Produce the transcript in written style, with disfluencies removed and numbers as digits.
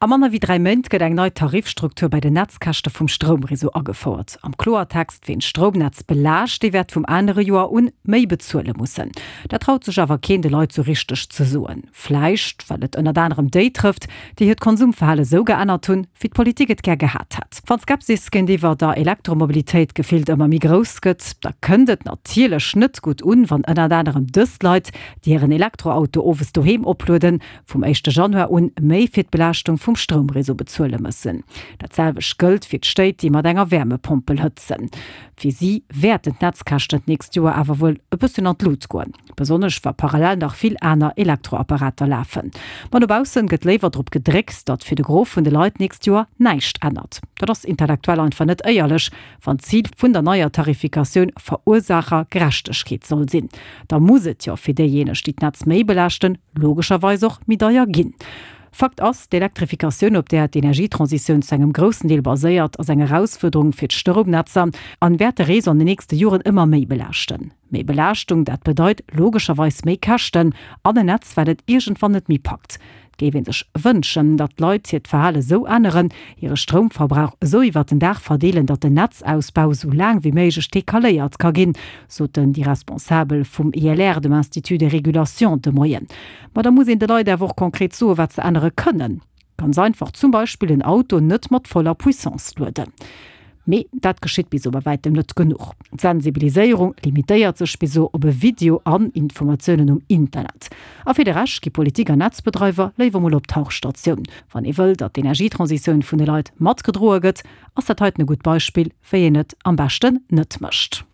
A manner wéi 3 Méint gëtt eng nei Tarifstruktur bei den Netzkäschte vum Stroumreseau agefouert. Am Kloertext, Ween d'Stroumnetz belaascht, dee wäert vum anere Joer un méi bezuele mussen. Dat traut sech awer keen de Leit sou richteg ze soen. Vläicht well et ënnert anerem déi trëfft, déi hiert Konsumverhale sou geännert hunn, wéi d'Politik et gär gehat hätt. Wann d'Skepsis géintiwwer der Elektromobilitéit gefillt ëmmer méi grouss gëtt, da kënnt et natierlech net gutt un, wann ënnert anerem dës Leit, déi hiren Elektroauto owes doheem oplueden, vum éischte Januar un méi fir d'Belaaschtung vum Stroumreseau bezuele mëssen. Dat selwecht gëllt fir d'Stéit, déi mat enger Wäermepompel hëtzen. Fir si wäerten d'Netzkäschten d'nächst Joer awer wuel e bëssen an d'Lut goen, besonnesch wa parallel nach vill aner Elektroapparater lafen. Ma no baussen gëtt léiwer drop gedréckt, datt fir de Gros vun de Leit d'nächst Joer näischt ännert. Dat ass intellektuell einfach net éierlech, Wann d'Zil vun der neier Tarifikatioun Verursaachergerechtegkeet soll sinn, da muss et jo fir déijéineg, déi d'Netz méi belaaschten, logescherweis och méi deier ginn. Fakt ass, D'Elektrifikatioun, op där d'Energietransitioun zu engem groussen Deel baséiert, ass eng Erausfuerderung fir d'Stroumnetzer an wäert de Réseau an den nächste Joren ëmmer méi belaaschten. Méi Belaaschtung, dat bedeit logescherweis méi Käschten an en Netz, wat et iergendwann net méi packt. Et géif ee sech wënschen, datt d'Leit hiert Verhale sou änneren, hire Stroumverbrauch esou iwwert den Dag verdeelen, datt den Netzausbau sou laang wéi méiglech decaléiert ka ginn, soten déi Responsabel vum ILR, dem Institut de régulation, de Moien. Ma da muss een de Leit awer och konkret soen, wat se ännere kënnen. Ganz einfach, zum Beispill en Auto net mat voller Puissance lueden. Mee dat geschitt bis elo bei wäitem net genuch. D'Sensibiliséierung limitéiert sech bis elo op e Video an Informatiounen um Internet. A fir de Rescht gi Politik an Netzbedreiwer léiwer mol op d'Tauchstatioun. Wann ee wëll, datt d'Energietransitioun vun de Leit matgedroe gëtt, ass dat heiten e gutt Beispill, wéi een et am beschten net mécht.